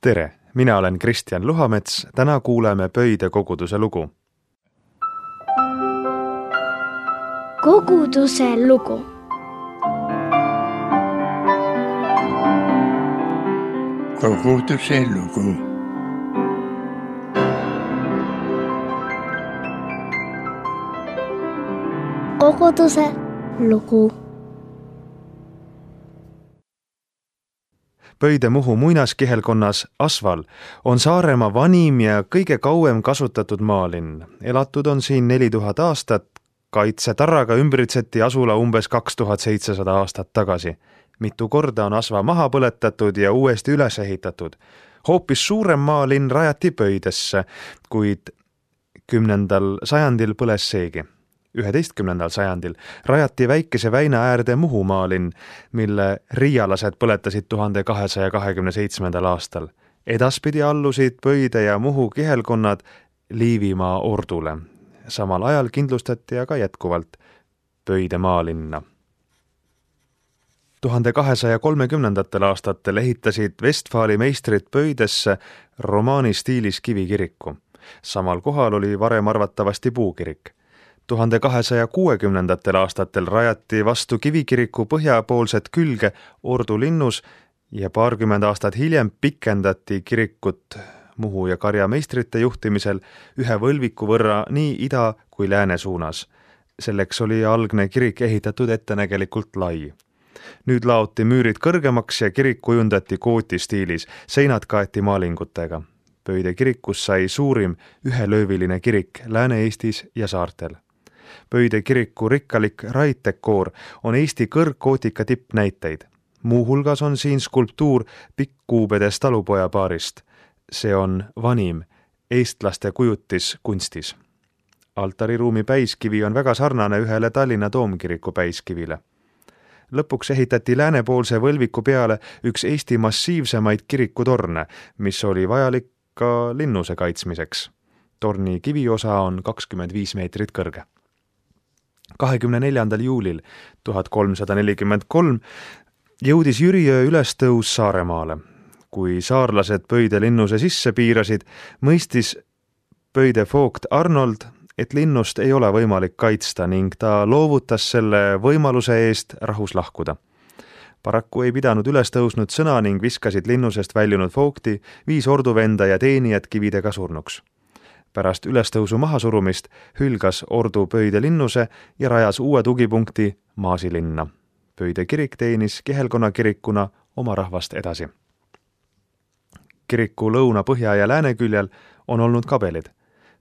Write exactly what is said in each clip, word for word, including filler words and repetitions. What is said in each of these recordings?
Tere, mina olen Kristjan Luhamets, täna kuuleme Pöide koguduse lugu. Koguduse lugu. Koguduse lugu. Koguduse lugu. Pöide Muhu muinaskihelkonnas Asval on Saaremaa vanim ja kõige kauem kasutatud maalinn. Elatud on siin neli tuhat aastat, kaitsetarraga ümbritseti asula umbes kaks tuhat seitsesada aastat tagasi. Mitu korda on Asva maha põletatud ja uuesti üles ehitatud. Hoopis suurem maalinn rajati Pöidesse, kuid kümnendal sajandil põles seegi. üheteistkümnendal sajandil rajati väikese väina äärde Muhu maalinn, mille riialased põletasid tuhande kahesaja kahekümne seitsmendal aastal. Edaspidi allusid Pöide ja Muhu kihelkonnad Liivimaa ordule. Samal ajal kindlustati aga jätkuvalt Pöide maalinna. tuhande kahesaja kolmekümnendatel aastatel ehitasid Vestfaali meistrid Pöidesse romaani stiilis kivikiriku. Samal kohal oli varem arvatavasti puukirik. tuhande kahesaja kuuekümnendatel aastatel rajati vastu kivikiriku põhjapoolset külge Ordu linnus ja paarkümmend aastat hiljem pikendati kirikut Muhu ja Karja meistrite juhtimisel ühe võlviku võrra nii ida kui lääne suunas. Selleks oli algne kirik ehitatud ettenägelikult lai. Nüüd laoti müürid kõrgemaks ja kirik kujundati kooti stiilis, seinad kaeti maalingutega. Pöide kirikus sai suurim ühelööviline kirik Lääne-Eestis ja saartel. Pöide kiriku rikkalik raiddekoor on Eesti kõrgkootika tippnäiteid. Muu hulgas on siin skulptuur Pikkkuubedes talupoja paarist. See on vanim eestlaste kujutis kunstis. Altariruumi päiskivi on väga sarnane ühele Tallinna Toomkiriku päiskivile. Lõpuks ehitati läänepoolse võlviku peale üks Eesti massiivsemaid kirikutorne, mis oli vajalik ka linnuse kaitsmiseks. Torni kiviosa on kakskümmend viis meetrit kõrge. kahekümne neljandal juulil tuhat kolmsada nelikümmend kolm jõudis Jüriöö ülestõus Saaremaale. Kui saarlased Pöide linnuse sisse piirasid, mõistis Pöide voogt Arnold, et linnust ei ole võimalik kaitsta ning ta loovutas selle võimaluse eest rahus lahkuda. Paraku ei pidanud üles tõusnud sõna ning viskasid linnusest väljunud voogti, viis orduvenda ja teenijad kividega surnuks. Pärast ülestõusu mahasurumist hülgas Ordu Pöide linnuse ja rajas uue tugipunkti Maasilinna. Pöide kirik teenis kihelkonna kirikuna oma rahvast edasi. Kiriku lõuna, põhja ja lääne küljel on olnud kabelid.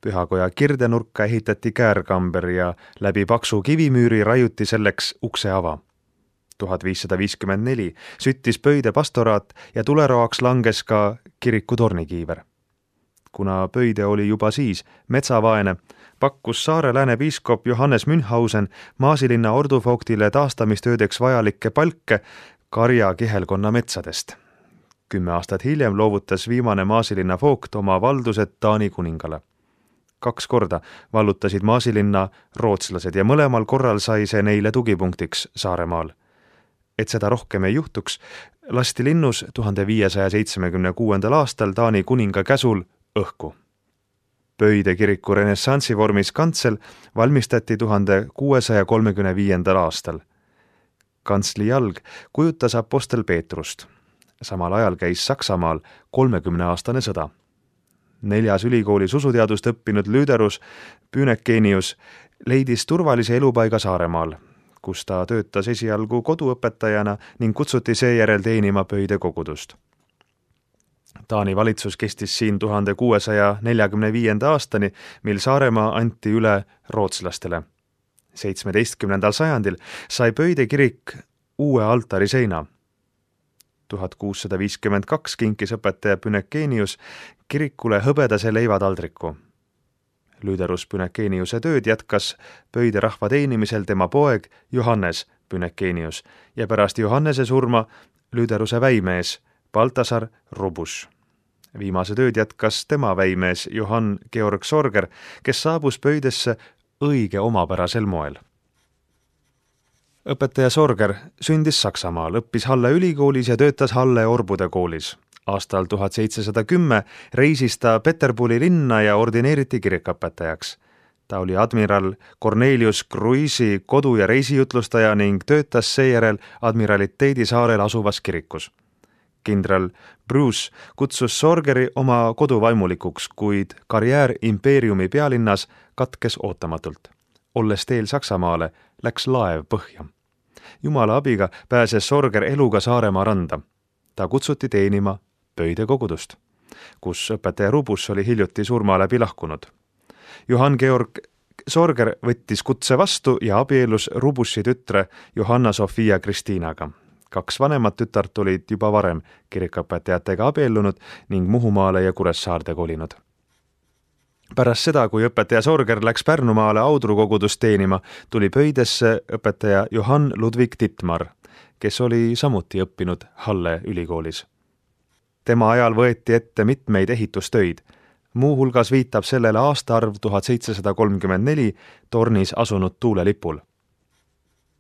Pühakoja kirdenurka ehitati käärkamber ja läbi paksu kivimüüri raiuti selleks ukseava. tuhat viissada viiskümmend neli süttis Pöide pastoraat ja tuleroaks langes ka kiriku tornikiiver. Kuna Pöide oli juba siis metsavaene, pakkus Saare lääne piiskop Johannes Münchhausen Maasilinna orduvooktile taastamistöödeks vajalikke palke Karja kihelkonna metsadest. Kümme aastat hiljem loovutas viimane Maasilinna voogt oma valdused Taani kuningale. Kaks korda vallutasid Maasilinna rootslased ja mõlemal korral sai see neile tugipunktiks Saaremaal. Et seda rohkem ei juhtuks, lasti linnus tuhande viiesaja seitsmekümne kuuendal aastal Taani kuninga käsul õhku. Pöide kiriku renessansi vormis kantsel valmistati tuhande kuuesaja kolmekümne viiendal aastal. Kantsli jalg kujutas apostel Peetrust. Samal ajal käis Saksamaal kolmekümneaastane sõda. Neljas ülikoolis usuteadust õppinud Lüderus Pünekenius leidis turvalise elupaiga Saaremaal, kus ta töötas esialgu koduõpetajana ning kutsuti seejärel teenima Pöide kogudust. Taani valitsus kestis siin tuhande kuuesaja neljakümne viienda aastani, mil Saaremaa anti üle rootslastele. seitsmeteistkümnendal sajandil sai Pöide kirik uue altariseina. tuhat kuussada viiskümmend kaks kinkis õpetaja Pünekenius kirikule hõbedase leivataldriku. Lüderus Pünekeniuse tööd jätkas Pöide rahva teenimisel tema poeg Johannes Pünekenius ja pärast Johannese surma Lüderuse väimees Baltasar Rubus. Viimase tööd jätkas tema väimees Johann Georg Sorger, kes saabus Pöidesse õige omapärasel moel. Õpetaja Sorger sündis Saksamaal, õppis Halle ülikoolis ja töötas Halle orbude koolis. Aastal tuhat seitsesada kümme reisis ta Peterburi linna ja ordineeriti kirikuõpetajaks. Ta oli admiral Cornelius Cruise'i kodu- ja reisijutlustaja ning töötas seejärel admiraliteedi saarel asuvas kirikus. Kindral Bruce kutsus Sorgeri oma koduvaimulikuks, kuid karjäär impeeriumi pealinnas katkes ootamatult. Olles teel Saksamaale, läks laev põhja. Jumala abiga pääses Sorger eluga Saaremaa randa. Ta kutsuti teenima Pöide kogudust, kus õpetaja Rubus oli hiljuti surma läbi lahkunud. Johann Georg Sorger võttis kutse vastu ja abiellus Rubussi tütre Johanna Sofia Kristiinaga. Kaks vanemat tütart olid juba varem kirikuõpetajatega abiellunud ning Muhumaale ja Kuressaarde kolinud. Pärast seda, kui õpetaja Sorger läks Pärnumaale Audru kogudust teenima, tuli Pöidesse õpetaja Johann Ludwig Dittmar, kes oli samuti õppinud Halle ülikoolis. Tema ajal võeti ette mitmeid ehitustöid. Muu hulgas viitab sellele aastaarv tuhat seitsesada kolmkümmend neli tornis asunud tuulelipul.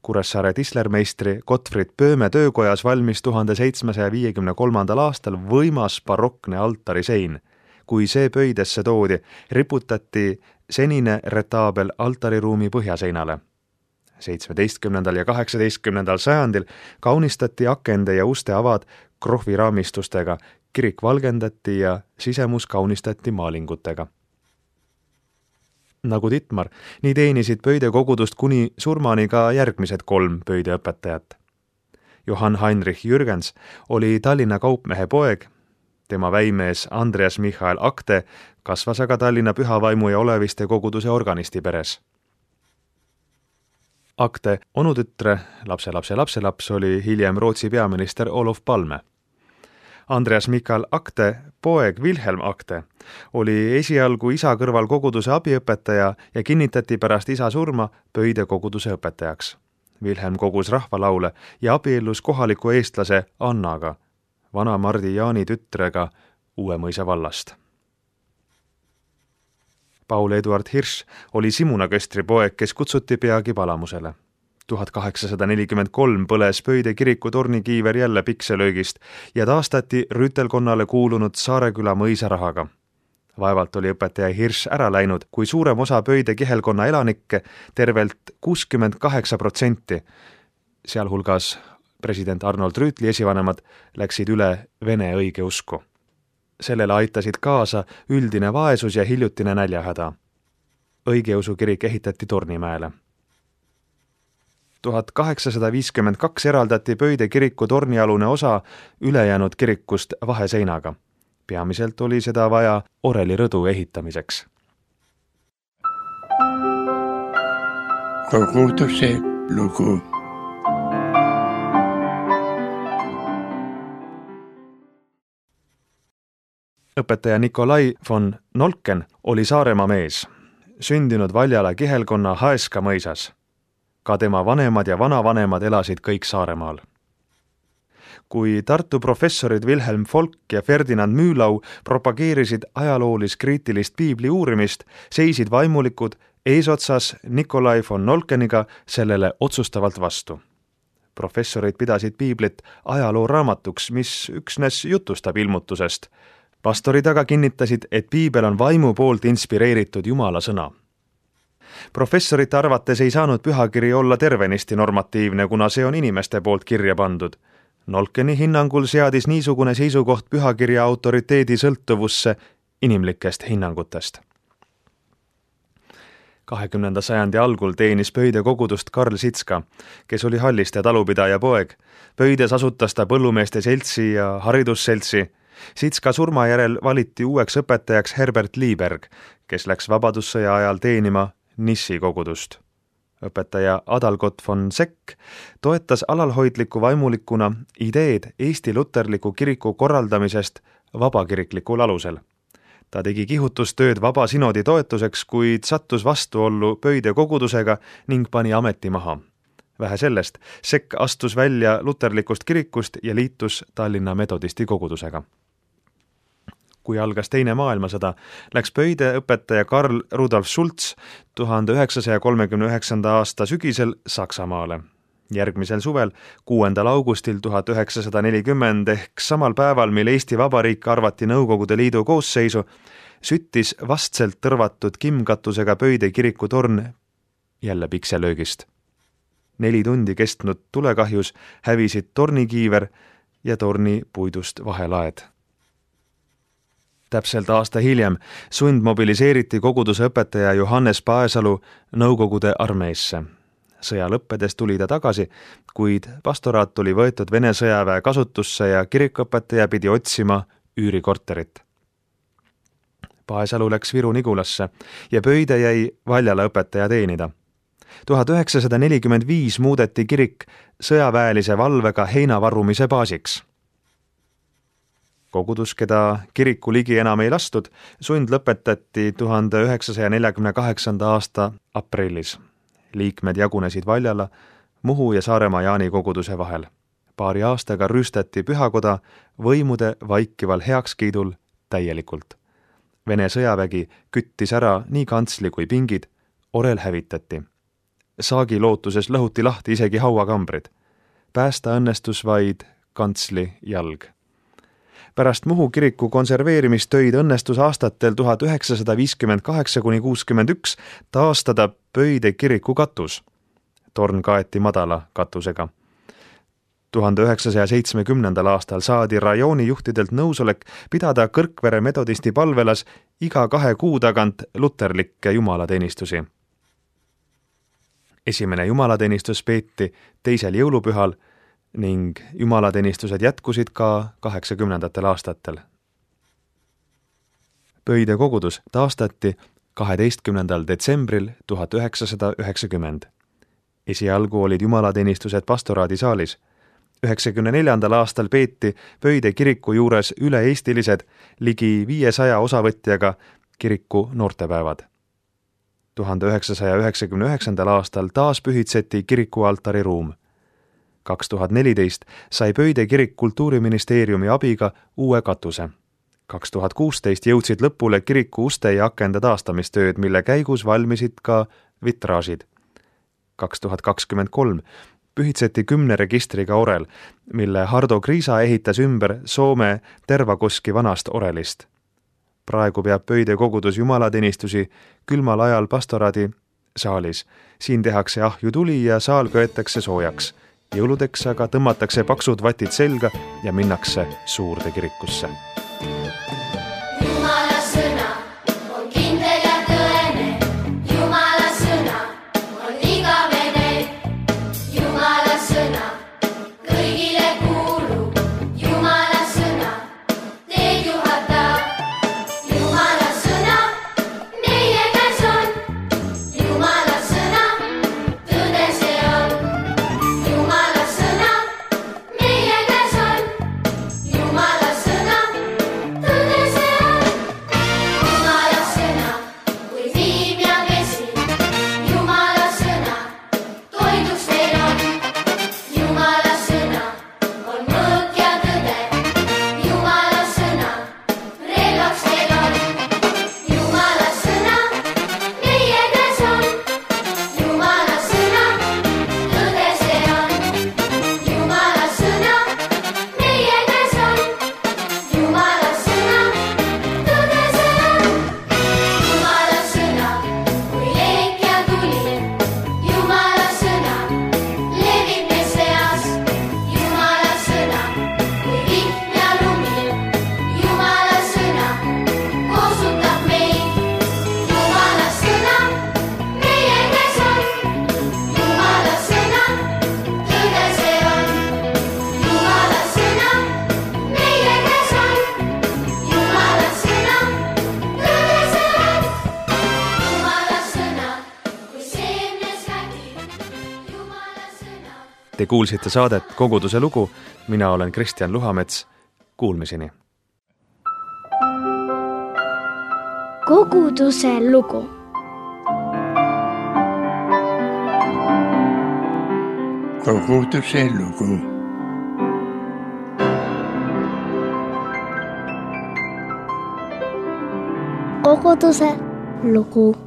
Kuressaare tislermeistri Gottfried Pööme töökojas valmis tuhande seitsmesaja viiekümne kolmandal aastal võimas barokne altarisein. Kui see Pöidesse toodi, riputati senine retaabel altariruumi põhjaseinale. seitsmeteistkümnendal ja kaheksateistkümnendal sajandil kaunistati akende ja uste avad krohviraamistustega, kirik valgendati ja sisemus kaunistati maalingutega. Nagu Dittmar, nii teenisid Pöide kogudust kuni surmani ka järgmised kolm Pöide õpetajat. Johann Heinrich Jürgens oli Tallinna kaupmehe poeg, tema väimees Andreas Michael Akte kasvas aga Tallinna Pühavaimu ja Oleviste koguduse organisti peres. Akte onutütre, lapse lapse lapselaps oli hiljem Rootsi peaminister Olof Palme. Andreas Michael Akte poeg Wilhelm Akte oli esialgu isa kõrval koguduse abiõpetaja ja kinnitati pärast isa surma Pöide koguduse õpetajaks. Wilhelm kogus rahvalaule ja abiellus kohaliku eestlase Annaga, vana Mardi Jaani tütrega Uuemõisa vallast. Paul Eduard Hirsch oli Simuna Köstri poeg, kes kutsuti peagi palamusele. tuhat kaheksasada nelikümmend kolm põles Pöide kiriku tornikiiver jälle pikselöögist ja taastati rüütelkonnale kuulunud Saareküla mõisa rahaga. Vaevalt oli õpetaja Hirsch ära läinud, kui suurem osa Pöide kihelkonna elanikke, tervelt kuuskümmend kaheksa protsenti, sealhulgas president Arnold Rüütli esivanemad, läksid üle vene õigeusku. Sellele aitasid kaasa üldine vaesus ja hiljutine näljahäda. Õigeusu kirik ehitati Tornimäele. tuhat kaheksasada viiskümmend kaks eraldati Pöide kiriku tornialune osa ülejäänud kirikust vaheseinaga. Peamiselt oli seda vaja Oreli rõdu ehitamiseks. Koguduse lugu. Õpetaja Nikolai von Nolken oli Saaremaa mees, sündinud Valjala kihelkonna Haeska mõisas. Ka tema vanemad ja vanavanemad elasid kõik Saaremaal. Kui Tartu professorid Wilhelm Folk ja Ferdinand Mühlau propageerisid ajaloolis-kriitilist piibli uurimist, seisid vaimulikud eesotsas Nikolai von Nolkeniga sellele otsustavalt vastu. Professorid pidasid piiblit ajalooraamatuks, mis üksnes jutustab ilmutusest. Pastorid aga kinnitasid, et piibel on vaimu poolt inspireeritud Jumala sõna. Professorite arvates ei saanud pühakiri olla tervenisti normatiivne, kuna see on inimeste poolt kirja pandud. Nolkeni hinnangul seadis niisugune seisukoht pühakirja autoriteedi sõltuvusse inimlikest hinnangutest. kahekümnenda sajandi algul teenis Pöide kogudust Karl Sitska, kes oli Halliste talupidaja poeg. Pöides asutas ta põllumeeste seltsi ja haridusseltsi. Sitska surma järel valiti uueks õpetajaks Herbert Liiberg, kes läks vabadussõja ajal teenima Nissi kogudust. Õpetaja Adalgot von Sekk toetas alalhoidliku vaimulikuna ideed Eesti luterliku kiriku korraldamisest vabakiriklikul alusel. Ta tegi kihutustööd vaba sinodi toetuseks, kuid sattus vastuollu Pöide kogudusega ning pani ameti maha. Vähe sellest, Sekk astus välja luterlikust kirikust ja liitus Tallinna metodisti kogudusega. Kui algas teine maailmasõda, läks Pöide õpetaja Karl Rudolf Schultz tuhande üheksasaja kolmekümne üheksanda aasta sügisel Saksamaale. Järgmisel suvel, kuuendal augustil tuhat üheksasada nelikümmend ehk samal päeval, mil Eesti Vabariik arvati Nõukogude Liidu koosseisu, süttis vastselt tõrvatud kimmkatusega Pöide kiriku torn jälle pikselöögist. Neli tundi kestnud tulekahjus hävisid tornikiiver ja torni puidust vahelaed. Täpselt aasta hiljem sundmobiliseeriti koguduse õpetaja Johannes Paesalu Nõukogude armeesse. Sõja lõppedes tuli ta tagasi, kuid pastoraat oli võetud Vene sõjaväe kasutusse ja kirikuõpetaja pidi otsima üürikorterit. Paesalu läks Viru-Nigulasse ja Pöide jäi Valjala õpetaja teenida. tuhat üheksasada nelikümmend viis muudeti kirik sõjaväelise valvega heinavarrumise baasiks. Kogudus, keda kiriku ligi enam ei lastud, sund lõpetati tuhande üheksasaja neljakümne kaheksanda aasta aprillis. Liikmed jagunesid Valjala, Muhu ja Saaremaa Jaani koguduse vahel. Paari aastaga rüüstati pühakoda võimude vaikival heakskiidul täielikult. Vene sõjavägi küttis ära nii kantsli kui pingid, orel hävitati. Saagi lootuses lõhuti lahti isegi hauakambrid. Päästa õnnestus vaid kantsli jalg. Pärast Muhu kiriku konserveerimist töid õnnestus aastatel tuhat üheksasada viiskümmend kaheksa kuni kuuskümmend üks taastada Pöide kiriku katus. Torn kaeti madala katusega. tuhande üheksasaja seitsmekümnendal aastal saadi rajooni juhtidelt nõusolek pidada Kõrkvere metodisti palvelas iga kahe kuu tagant luterlikke jumalateenistusi. Esimene jumalateenistus peeti teisel jõulupühal ning jumalateenistused jätkusid ka kaheksakümnendatel aastatel. Pöide kogudus taastati kaheteistkümnendal detsembril tuhat üheksasada üheksakümmend. Esialgu olid jumalateenistused pastoraadisaalis. üheksakümne neljandal aastal peeti Pöide kiriku juures üle-eestilised ligi viiesaja osavõtjaga kiriku noortepäevad. tuhande üheksasaja üheksakümne üheksandal aastal taas pühitseti kiriku altariruum. kaks tuhat neliteist sai Pöide kirik Kultuuriministeeriumi abiga uue katuse. kaks tuhat kuusteist jõudsid lõpule kiriku uste ja akende taastamistööd, mille käigus valmisid ka vitraažid. kaks tuhat kakskümmend kolm pühitseti kümne registriga orel, mille Hardo Kriisa ehitas ümber Soome Tervakoski vanast orelist. Praegu peab Pöide kogudus jumalateenistusi külmal ajal pastoraadi saalis. Siin tehakse ahju tuli ja saal köetakse soojaks. Jõuludeks aga tõmmatakse paksud vatid selga ja minnakse suurde kirikusse. Jumala sõna on kindel ja tõene. Jumala sõna on igavene. Jumala sõna kõigile kuulub. Jumala sõna teed juhatab. Jumala sõna meie käes on. Jumala sõna tõde see on. Jumala sõna meie käes on. Jumala sõna tõde see on. Jumala sõna kui viim ja vesi. Jumala sõna toiduks teil on. Jumala sõna on mõõk ja tõde. Jumala sõna relvaks teil on. Jumala sõna meie käes on. Jumala sõna tõde see on. Jumala sõna meie käes on. Jumala sõna tõde see on. Jumala sõna kui leek ja tuli. Jumala sõna levib meie seas. Jumala sõna kui vihm ja lumi. Jumala sõna koosutab meid. Jumala sõna meie käes on. Jumala sõna tõde see on. Jumala sõna meie käes on. Jumala sõna tõde see on. Jumala sõna kui seemnes kägib. Jumala sõna Te kuulsite saadet Koguduse lugu. Mina olen Kristjan Luhamets. Kuulmiseni. Koguduse lugu. Koguduse lugu. Koguduse lugu.